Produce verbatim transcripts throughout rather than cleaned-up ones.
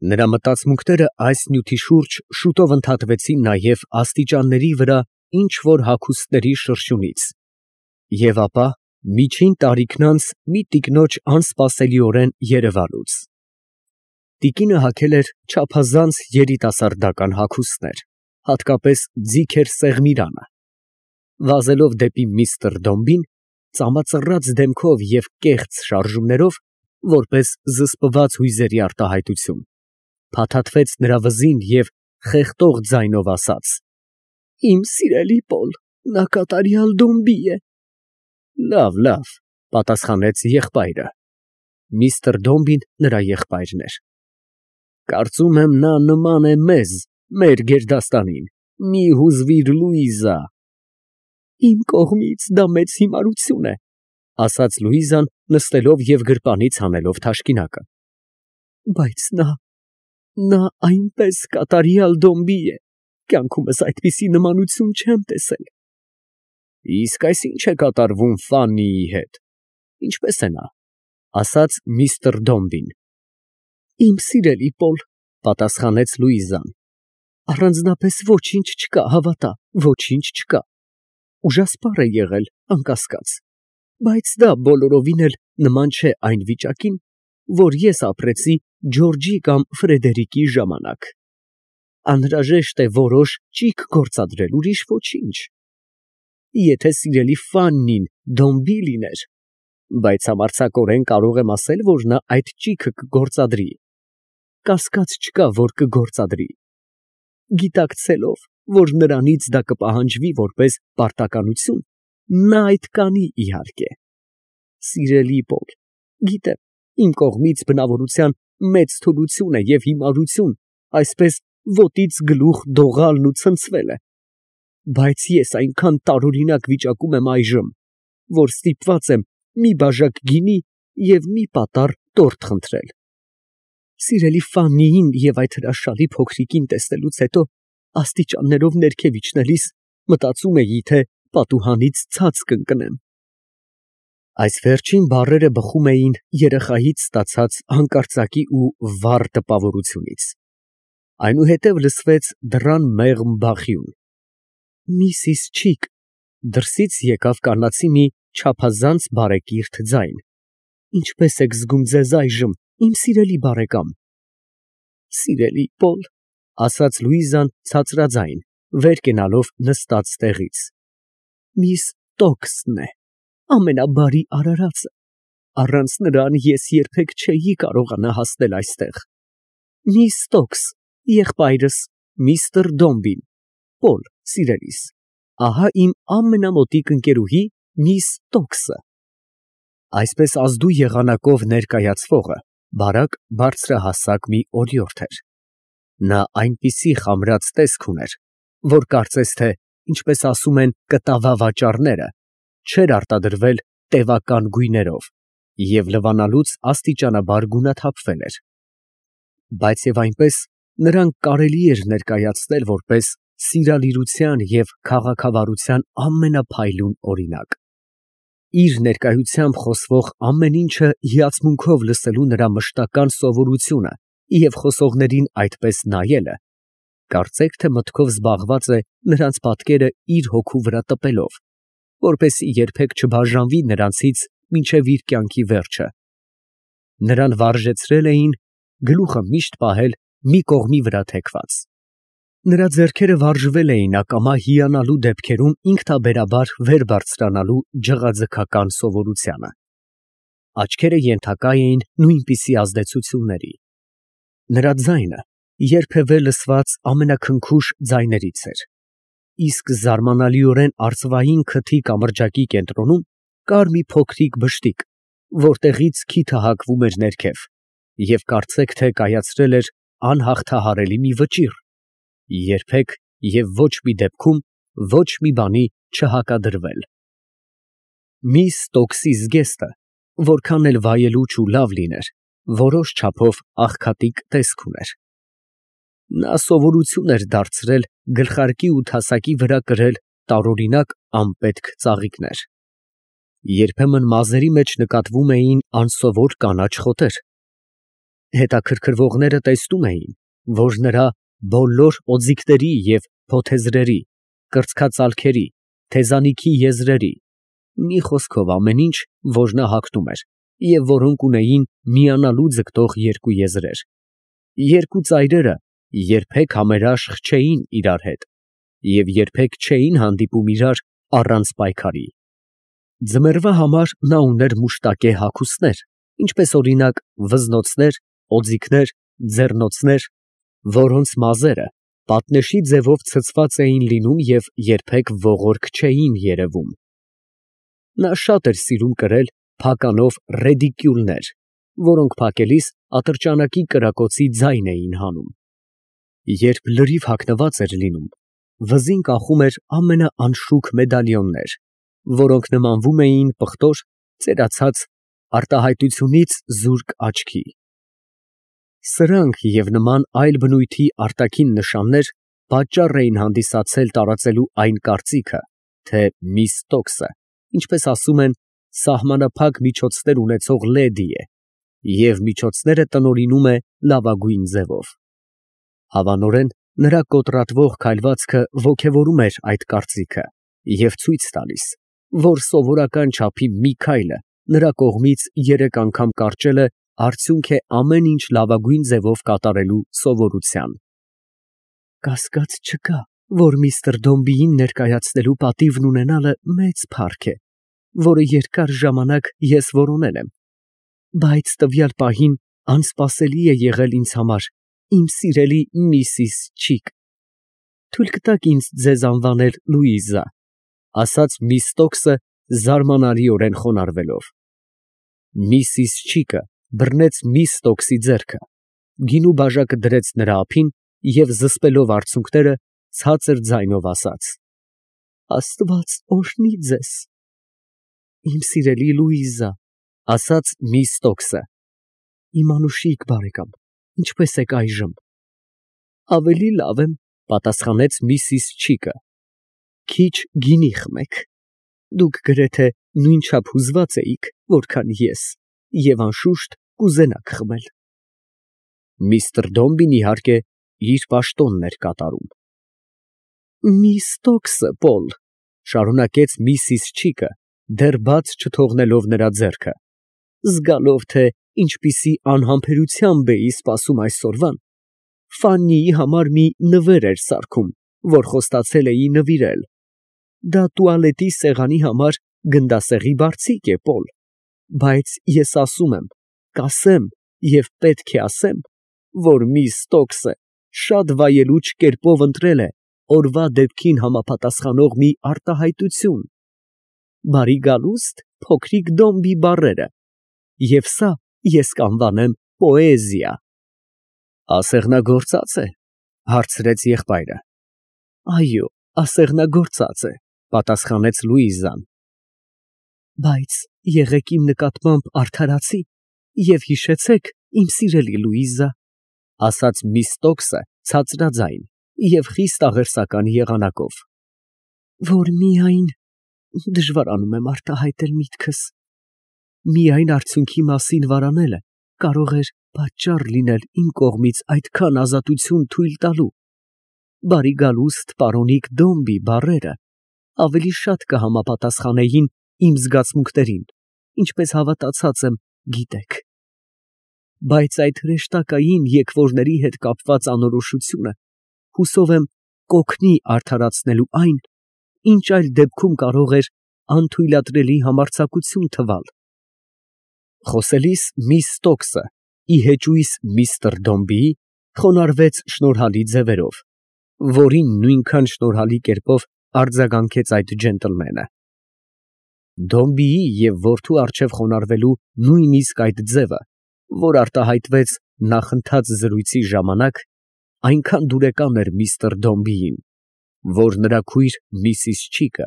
Նրա մտածմունքները այս նյութի շուրջ շուտով ընդհատվեցին նաև աստիճանների վրա ինչ֊որ հագուստների շրշյունից, և ապա միջին տարիքն անց մի տիկնոջ անսպասելիորեն երևալուց։ Տիկինը հագել էր չափազանց երիտասարդական հագուստներ, հատկապես ձիգ էր սեղմիրանը։ Վազելով դեպի միստր Դոմբին, ծամածռած դեմքով և կեղծ շարժումներով, որպես զսպված հույզերի արտահայտություն, փաթաթվեց նրա վզին և խեղդող ձայնով ասաց. «Իմ սիրելի Պոլ, նա կատարյալ Դոմբի է»։ «Լավ, լավ», պատասխանեց եղբայրը (միստր Դոմբին նրա եղբայրն էր)։ «Կարծում եմ, նա նման է մեզ, մեր գերդաստանին, մի հուզվիր, Լուիզա»։ «Իմ կողմից դա մեծ հիմարություն է», ասաց Լուիզան, նստելով և գրպանից հանելով թաշկինակը, «բայց նա… նա այնպես կատարյալ Դոմբի է, կյանքումս այդպիսի նմանություն չեմ տեսել»։ «Իսկ այս ի՞նչ է կատարվում Ֆաննիի հետ, ինչպե՞ս է նա», ասաց միստր Դոմբին։ «Իմ սիրելի Պոլ», պատասխանեց Լուիզան, «առանձնապես ոչինչ չկա, հավատա, ոչինչ չկա։ Ուժասպառ է եղել, անկասկած, բայց դա բոլորովին էլ նման չէ այն վիճակին, որ ես ապրեցի Ջորջի կամ Ֆրեդերիկի ժամանակ։ Անհրաժեշտ է որոշ ճիգ գործադրել, ուրիշ ոչինչ։ Եթե սիրելի Ֆաննին Դոմբի լիներ… բայց համարձակորեն կարող եմ ասել, որ նա այդ ճիգը կգործադրի, կասկած չկա, որ կգործադրի, գիտակցելով, որ նրանից դա կպահանջվի որպես պարտականություն, նա այդ կանի, իհարկե։ Սիրելի Պոլ, գիտեմ, իմ կողմից բնավորության մեծ թուլություն է և հիմարություն այսպես ոտից գլուխ դողալն ու ցնցվելը, բայց ես այնքան տարօրինակ վիճակում եմ այժմ, որ ստիպված եմ մի բաժակ գինի և մի պատառ տորտ խնդրել։ Սիրելի Ֆաննիին և այդ հրաշալի փոքրիկին տեսնելուց հետո աստիճաններով ներքև իջնելիս մտածում էի, թե պատուհանից ցած կընկնեմ։ Այս վերջին բառերը բխում էին երեխայից ստացած հանկարծակի ու վառ տպավորությունից։ Այնուհետև լսվեց դռան մեղմ բախյուն։ «Միսիս Չիք», դրսից եկավ կանացի մի չափազանց բարեկիրթ ձայն, «ինչպե՞ս եք զգում ձեզ այժմ, իմ սիրելի բարեկամ»։ «Սիրելի Պոլ», ասաց Լուիզան ցածրաձայն, վեր կենալով նստած տեղից, «միս Տոքսն է, ամենաբարի արարածը, առանց նրան ես երբեք չէի կարողանա հասնել այստեղ։ Միս Տոքս, եղբայրս, միստր Դոմբին, Պոլ, սիրելիս, ահա իմ ամենամոտիկ ընկերուհի միս Տոքսը»։ Այսպես ազդու եղանակով ներկայացվողը բարակ բարձրահասակ մի օրիորդ էր։ Նա այնպիսի խամրած տեսք ուներ, որ կարծես թե, ինչպես ասում են կտավավաճառները, չէր արտադրվել տևական գույներով և լվանալուց աստիճանաբար գունաթափվել էր։ Բայց և այնպես նրան կարելի էր ներկայացնել որպես սիրալիրության և քաղաքավարության ամենափայլուն օրինակ։ Իր ներկայությամբ խոսվող ամեն ինչը հիացմունքով լսելու նրա մշտական սովորությունը և խոսողներին այդպես նայելը, կարծեք թե մտքով զբաղված է նրանց պատկերը իր հոգու վրա տպելով, որպեսզի երբեք չբաժանվի նրանցից մինչև իր կյանքի վերջը։ Նրան վարժեցրել էին գլուխը միշտ պահել մի կողմի վրա թեքված։ Նրա ձեռքերը վարժվել էին ակամա հիանալու դեպքերում ինքնաբերաբար վեր բարձրանալու ջղաձգական սովորությանը։ Աչքերը ենթակա էին նույնպիսի ազդեցությունների։ Նրա ձայնը երբևէ լսված ամենաքնքուշ ձայներից էր, իսկ զարմանալիորեն արծվային քթի կամրջակի կենտրոնում կար մի փոքրիկ բշտիկ, որտեղից քիթը հագվում էր ներքև, և կարծեք թե կայացրել էր անհաղթահարելի մի վճիռ, երբեք և ոչ մի դեպքում ոչ մի բանի չհակադրվել։ Միս Տոքսի զգեստը, որքան էլ վայելուչ ու լավ լիներ, որոշ չափով աղքատիկ տեսք ուներ։ Նա սովորություն էր դարձրել գլխարկի ու թասակի վրա կրել տարօրինակ անպետք ծաղիկներ։ Երբեմն մազերի մեջ նկատվում էին անսովոր կանաչ խոտեր։ Հետաքրքրվողները տեսնում էին, որ նրա բոլոր օձիքների և փոթեզրերի, կրծքածալքերի, թեզանիքի եզրերի, մի խոսքով ամեն ինչ, որ նա հագնում էր, և որոնք ունեին միանալու ձգտող երկու եզրեր, երկու ծայրերը երբեք համերաշխ չէին իրար հետ և երբեք չէին հանդիպում իրար առանց պայքարի։ Ձմեռվա համար նա ուներ մուշտակե հագուստներ, ինչպես օրինակ վզնոցներ, օձիքներ, ձեռնոցներ, որոնց մազերը պատնեշի ձևով ցցված էին լինում և երբեք ողորկ չէին երևում։ Նա շատ էր սիրում կրել փականով ռեդիկյուլներ, որոնք փակելիս ատրճանակի կրակոցի ձայն էին հանում։ Երբ լրիվ հագնված էր լինում, վզին կախում էր ամենաանշուք մեդալիոններ, որոնք նմանվում էին պղտոր, ծերացած, արտահայտությունից զուրկ աչքի։ Սրանք և նման այլ բնույթի արտաքին նշաններ պատճառ էին հանդիսացել տարածելու այն կարծիքը, թե միս Տոքսը, ինչպես ասում են, սահմանափակ միջոցներ ունեցող լեդի է և միջոցները տնօրինում է լավագույն ձևով։ Հավանորեն, նրա կոտրատվող քայլվածքը ոգևորում էր այդ կարծիքը և ցույց տալիս, որ սովորական չափի մի քայլը նրա կողմից երեք անգամ կարճելը արդյունք է ամեն ինչ լավագույն ձևով կատարելու սովորության։ Կասկած չկա, որ միստր Դոմբիին ներկայացնելու պատիվն ունենալը մեծ փառք է, որը երկար ժամանակ ես որոնել եմ, բայց տվյալ պահին անսպասելի է եղել ինձ համար, իմ սիրելի Միսիս Չիկ։ Թույլ կտաք ինձ ձեզ անվանել Լուիզա, ֊ ասաց միս Տոքսը զարմանալիորեն խոնարհվելով։ Միսիս Չիկը բռնեց միս Տոքսի ձեռքը, գինու բաժակը դրեց նրա ափին և զսպելով արցունքները, ցածր ձայնով ասաց. «Աստված օրհնի ձեզ»։ Իմ սիրելի Լուիզա, ֊ ասաց միս Տոքսը, ֊ իմ անուշիկ բարեկամ, ինչպե՞ս եք այժմ։ Ավելի լավ եմ, ֊ պատասխանեց միսիս Չիկը, ֊ քիչ գինի խմեք, դուք գրեթե նույնչափ հուզված էիք, որքան ես, և անշուշտ կուզենաք խմել։ Միստր Դոմբին, իհարկե, իր պաշտոնն էր կատարում։ Միս Տոքսը, Պոլ, ֊ շարունակեց միսիս Չիկը, դեռ բաց չթողնելով նրա ձեռքը, ֊ զգալով, թե ինչպիսի անհամբերությամբ էի սպասում այսօրվան, Ֆաննիի համար մի նվեր էր սարքում, որ խոստացել էի նվիրել. դա տուալետի սեղանի համար գնդասեղի բարձիկ է, Պոլ, բայց ես ասում եմ, կասեմ և պետք է ասեմ, որ միս Տոքսը շատ վայելուչ կերպով ընտրել է օրվա դեպքին համապատասխանող մի արտահայտություն, բարի գալուստ, փոքրիկ Դոմբի բառերը, և սա ես կանվանեմ պոեզիա։ Ասեղնագործած է, ֊ հարցրեց եղբայրը։ Այո, ասեղնագործած է, ֊ պատասխանեց Լուիզան։ Բայց եղեք իմ նկատմամբ արդարացի և հիշեցեք, իմ սիրելի Լուիզա, ֊ ասաց միս Տոքսը ցածրաձայն և խիստ աղերսական եղանակով, որ միայն, դժվարանում եմ արտահայտել միտքս, միայն արդյունքի մասին վարանելը կարող էր պատճառ լինել իմ կողմից այդքան ազատություն թույլ տալու, բարի գալուստ պարոնիկ Դոմբի բառերը ավելի շատ կհամապատասխանեին իմ զգացմունքներին, ինչպես հավատացած եմ, գիտեք։ Բայց այդ հրեշտակային եկվորների հետ կապված անորոշությունը, հուսով եմ, կօգնի արդարացնելու այն, ինչ այլ դեպքում կարող էր անթույլատրելի համարձակություն թվալ։ Խոսելիս միս Տոքսը, ի հեճույս միստր Դոմբիի, խոնարհվեց շնորհալի ձևերով, որին նույնքան շնորհալի կերպով արձագանքեց այդ ջենտլմենը։ Դոմբիի և որդու առջև խոնարհվելու նույնիսկ այդ ձևը, որ արտահայտվեց նախընթաց զրույցի ժամանակ, այնքան դուրեկան էր միստր Դոմբիին, որ նրա քույր միսիս Չիկը,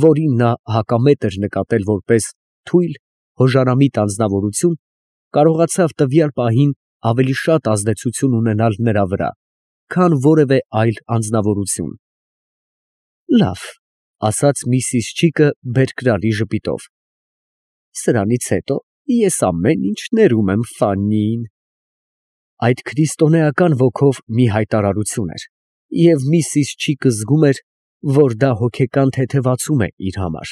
որին նա հակամետ էր նկատել որպես թույլ, հոժարամիտ անձնավորություն, կարողացավ տվյալ պահին ավելի շատ ազդեցություն ունենալ նրա վրա, քան որևէ այլ անձնավորություն։ Լավ, ֊ ասաց միսիս Չիկը բերկրալի ժպիտով, ֊ սրանից հետո ես ամեն ինչ ներում եմ Ֆաննիին։ այդ քրիստոնեական ոգով մի հայտարարություն էր, և միսիս Չիկը զգում էր, որ դա հոգեկան թեթևացում է իր համար։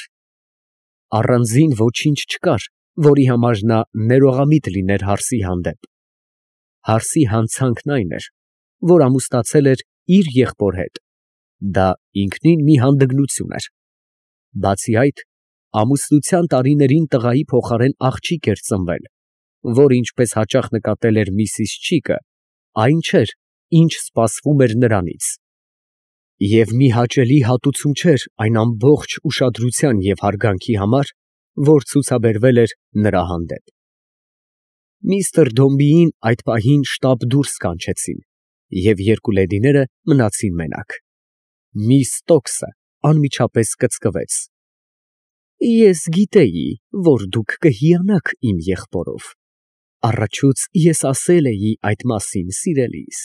Առանձին ոչինչ չկար, որի համար նա ներողամիտ լիներ հարսի հանդեպ։ Հարսի հանցանքն այն էր, որ ամուսնացել էր իր եղբոր հետ, դա ինքնին մի հանդգնություն էր։ Բացի այդ, ամուսնության տարիներին տղայի փոխարեն աղջիկ էր ծնվել, որ ինչպես հաճախ նկատել էր միսիս Չիկը, այն չէր, ինչ սպասվում էր նրանից։ Եվ մի հաճելի հատուցում չէր այն ամբողջ ուշադրության և հարգանքի համար, որ ցուցաբերվել էր նրա հանդեպ։ Միսթր Դոմբիին այդ պահին շտապ դուրս կանչեցին, և երկու լեդիները մնացին մենակ։ Միս Ստոքսը անմիջապես կծկվեց. «Ես գիտեի, որ դուք կհիանաք իմ եղբորով, առաջուց ես ասել էի այդ մասին, սիրելիս»,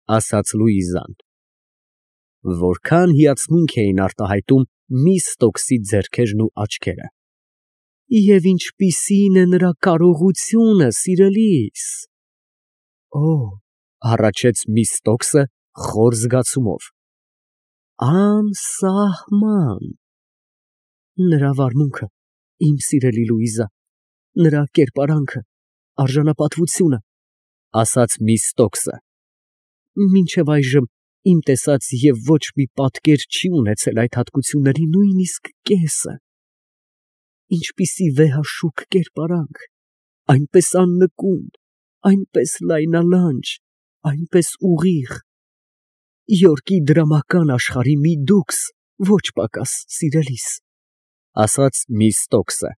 ֊ ասաց Լուիզան։ Որքան հիացմունք էին արտահայտում միս Ստոքսի ձեռքերն ու աչքերը։ «Եվ ինչպիսի՞ն է նրա կարողությունը, սիրելիս»։ «Օ», ֊ հառաչեց միս Ստոքսը խոր զգացումով, «անսահման»։ «Նրա վարմունքը, իմ սիրելի Լուիզա, նրա կերպարանքը, արժանապատվությունը», ֊ ասաց միս Ստոքսը, «մինչև այժմ իմ տեսած և ոչ մի պատկեր չի ունեցել այդ հատկությունների նույնիսկ կեսը։ Ինչպիսի վեհաշուք կերպարանք, այնպես աննկուն, այնպես լայնալանջ, այնպես ուղիղ։ Յորքի դրամական աշխարհի մի դուքս, ոչ պակաս, սիրելիս», ֊ ասաց միս Ստոքսը։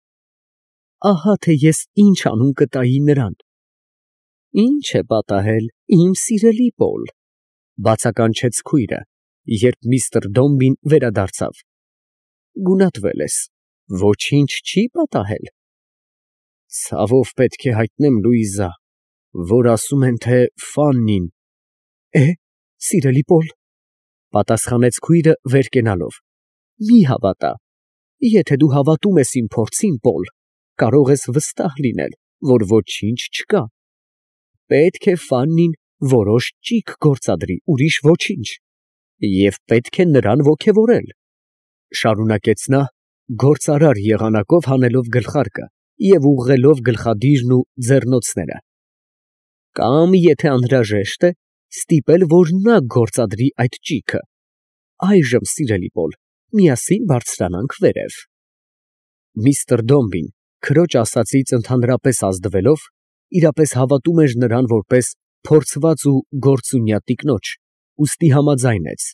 «Ահա թե ես ինչ անուն կտայի նրան»։ «Ինչ է պատահել, իմ սիրելի Պոլ», ֊ բացականչեց քույրը, երբ միստր Դոմբին վերադարձավ։ «Գունատվել ես, ոչինչ չի պատահել»։ «Ցավով պետք է հայտնեմ, Լուիզա, որ ասում են, թե Ֆաննին…» «Է, սիրելի Պոլ», ֊ պատասխանեց քույրը վեր կենալով, «մի հավատա։ Եթե դու հավատում ես իմ փորձին, Պոլ, կարող ես վստահ լինել, որ ոչինչ չկա։ Պետք է Ֆաննին որոշ ճիգ գործադրի, ուրիշ ոչինչ, և պետք է նրան ոգևորել», ֊ շարունակեց նա, գործարար եղանակով հանելով գլխարկը և ուղղելով գլխադիրն ու ձեռնոցները, «կամ, եթե անհրաժեշտ է, ստիպել, որ նա գործադրի այդ ճիգը։ Այժմ, սիրելի Պոլ, միասին բարձրանանք վերև»։ Միստր Դոմբին, քրոջ ասածից ընդհանրապես ազդվելով, իրապես հավատում էր նրան որպես փորձված ու գործունյա տիկնոջ, ուստի համաձայնեց,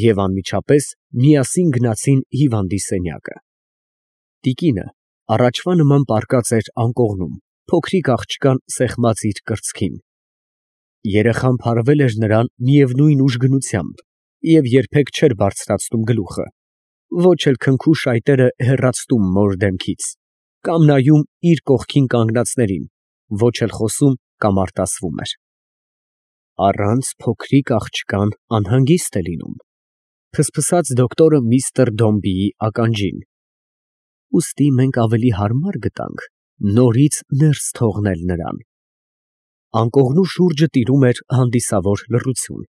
և անմիջապես միասին գնացին հիվանդի սենյակը։ Տիկինը առաջվա նման պառկած էր անկողնում, փոքրիկ աղջկան սեղմած իր կրծքին։ Երեխան փարվել էր նրան միևնույն ուժգնությամբ և երբեք չէր բարձրացնում գլուխը, ոչ էլ քնքու շայտերը հեռացնում մոր դեմքից, կամ նայում իր կողքին կանգնածներին, ոչ էլ խոսում կամ արտասվում էր։ «Առանց փոքրիկ աղջկան անհանգիստ է լինում», ֊ ֆսֆսաց դոկտորը միստր Դոմբիի ականջին։ «Ուստի մենք ավելի հարմար գտանք նորից ներս թողնել նրան»։ Անկողնու շուրջը տիրում էր հանդիսավոր լռություն,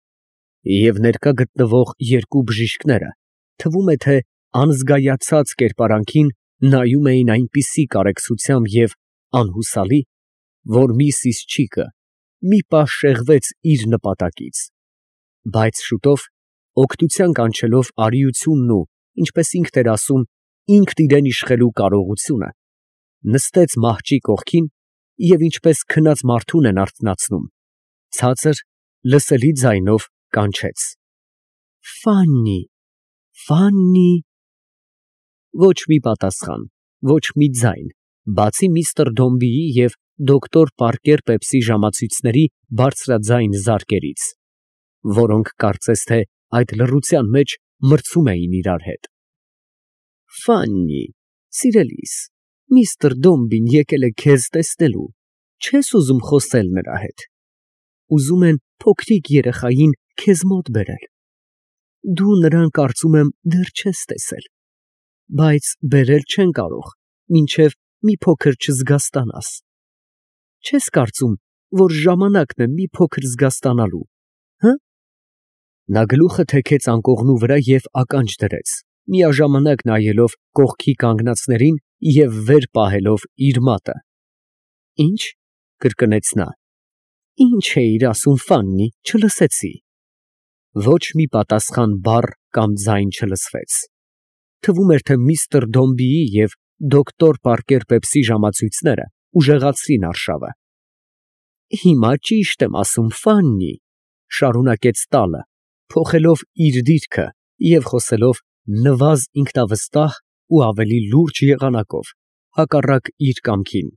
և ներկա գտնվող երկու բժիշկները, թվում է, թե անզգայացած կերպարանքին նայում էին այնպիսի կարեկցությամբ և անհուսալի, որ միսիս Չիկը մի պահ շեղվեց իր նպատակից, բայց շուտով, օգնության կանչելով արիությունն ու, ինչպես ինքն էր ասում, ինքն իրան իշխելու կարողությունը, նստեց մահճի կողքին և, ինչպես քնած մարդուն են արթնացնում, ցածր, լսելի ձայնով կանչեց. «Ֆաննի, Ֆաննի»։ Ոչ մի պատասխան, ոչ մի ձայն, բացի միստր Դոմբիի և դոկտոր Պարկեր Պեպսի ժամացույցների բարձրաձայն զարկերից, որոնք կարծես թե այդ լռության մեջ մրցում էին իրար հետ։ «Ֆաննի, սիրելիս, միստր Դոմբին եկել է քեզ տեսնելու, չե՞ս ուզում խոսել նրա հետ։ Ուզում են փոքրիկ երեխային քեզ մոտ բերել։ Դու նրան, կարծում եմ, դեռ չես տեսել, բայց բերել չեն կարող, մինչև մի փոքր չզգաստանաս։ Չես կարծում, որ ժամանակն է մի փոքր զգաստանալու, հը՞։ Նա գլուխը թեքեց անկողնու վրա և ականջ դրեց, միաժամանակ նայելով կողքի կանգնածներին և վեր պահելով իր մատը։ Ի՞նչ, կրկնեց նա։ Ի՞նչ էիր ասում, Ֆաննի, չլսեցի։ Ոչ մի պատասխան բառ կամ ձայն չլսվեց։ Թվում էր, թե միստր Դոմբիի և դոկտոր Պարկեր Պեպսի ժամացույցները ուժեղացրին արշավը։ Հիմա ճիշտ եմ ասում, Ֆաննի, շարունակեց տալը, փոխելով իր դիրքը և խոսելով նվազ ինքնավստահ ու ավելի լուրջ եղանակով, հակառակ իր կամքին։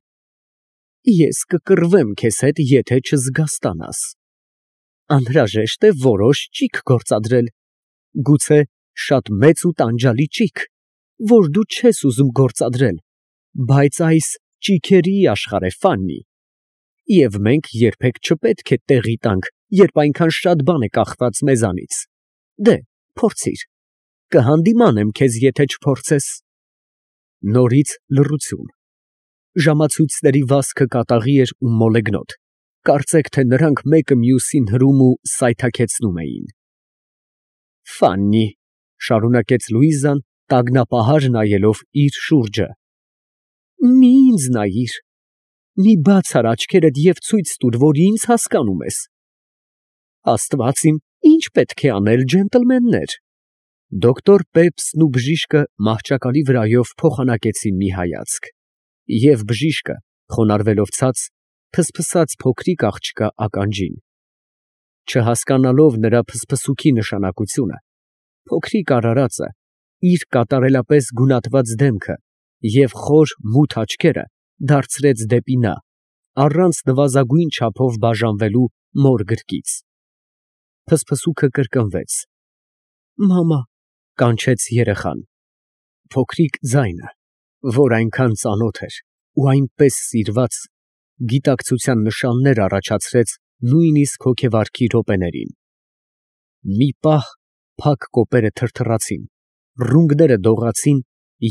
Ես կկռվեմ քեզ հետ, եթե չզգաստանաս։ Անհրաժեշտ է որոշ ճիգ գործադրել, գուցե շատ մեծ ու տանջալի ճիգ, որ դու չես ուզում գործադրել, բայց այս ճիգերի աշխարհ է, Ֆաննի, և մենք երբեք չպետք է տեղի տանք, երբ այնքան շատ բան է կախված մեզանից։ Դե, փորձիր, կհանդիմանեմ քեզ, եթե չփորձես։ Նորից լռություն։ Ժամացույցների վազքը կատաղի էր ու մոլեգնոտ, կարծեք թե նրանք մեկը մյուսին հրում ու սայթաքեցնում էին։ Ֆաննի, շարունակեց Լուիզան, տագնապահար նայելով իր շուրջը, մի ինձ նայիր, մի բաց ար աչքերդ և ցույց տուր, որ ինձ հասկանում ես։ Աստված իմ, ի՞նչ պետք է անել, ջենտլմեններ։ Դոկտոր Պեպսն ու բժիշկը մահճակալի վրայով փոխանակեցին մի հայացք, և բժիշկը, խոնարհվելով ցած, փսփսաց փոքրիկ աղջկա ականջին։ Չհասկանալով նրա փսփսուքի նշանակությունը, փոքրիկ արարածը, իր կատարելապես գունատված դեմքը և խոր մութ աչքերը դարձրեց դեպի նա, առանց նվազագույն չափով բաժանվելու մոր գրկից։ Փսփսուքը կրկնվեց։ Մամա, կանչեց երեխան։ Փոքրիկ ձայնը, որ այնքան ծանոթ էր ու այնպես սիրված, գիտակցության նշաններ առաջացրեց նույնիսկ հոգեվարքի րոպեներին։ Մի պահ փակ կոպերը թրթռացին, ռունգները դողացին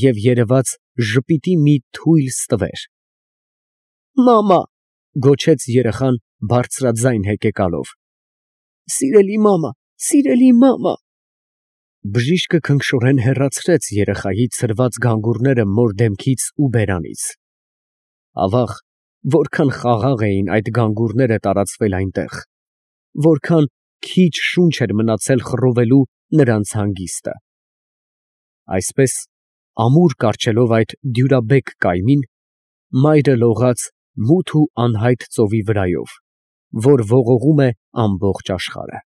և երևաց ժպիտի մի թույլ ստվեր։ Մամա, գոչեց երեխան բարձրաձայն հեկեկալով։ Սիրելի մամա, սիրելի մամա։ Բժիշկը քնքշորեն հեռացրեց երեխայի ցրված գանգուրները մոր դեմքից ու բերանից։ Ավաղ, որքան խաղաղ էին այդ գանգուրները տարածվել այնտեղ, որքան քիչ շունչ էր մնացել խռովելու նրանց հանգիստը։ Այսպես, ամուր կառչելով այդ դյուրաբեկ կայմին, մայրը լողաց մութ ու անհայտ ծովի վրայով, որ ողողում է ամբողջ աշխարհը։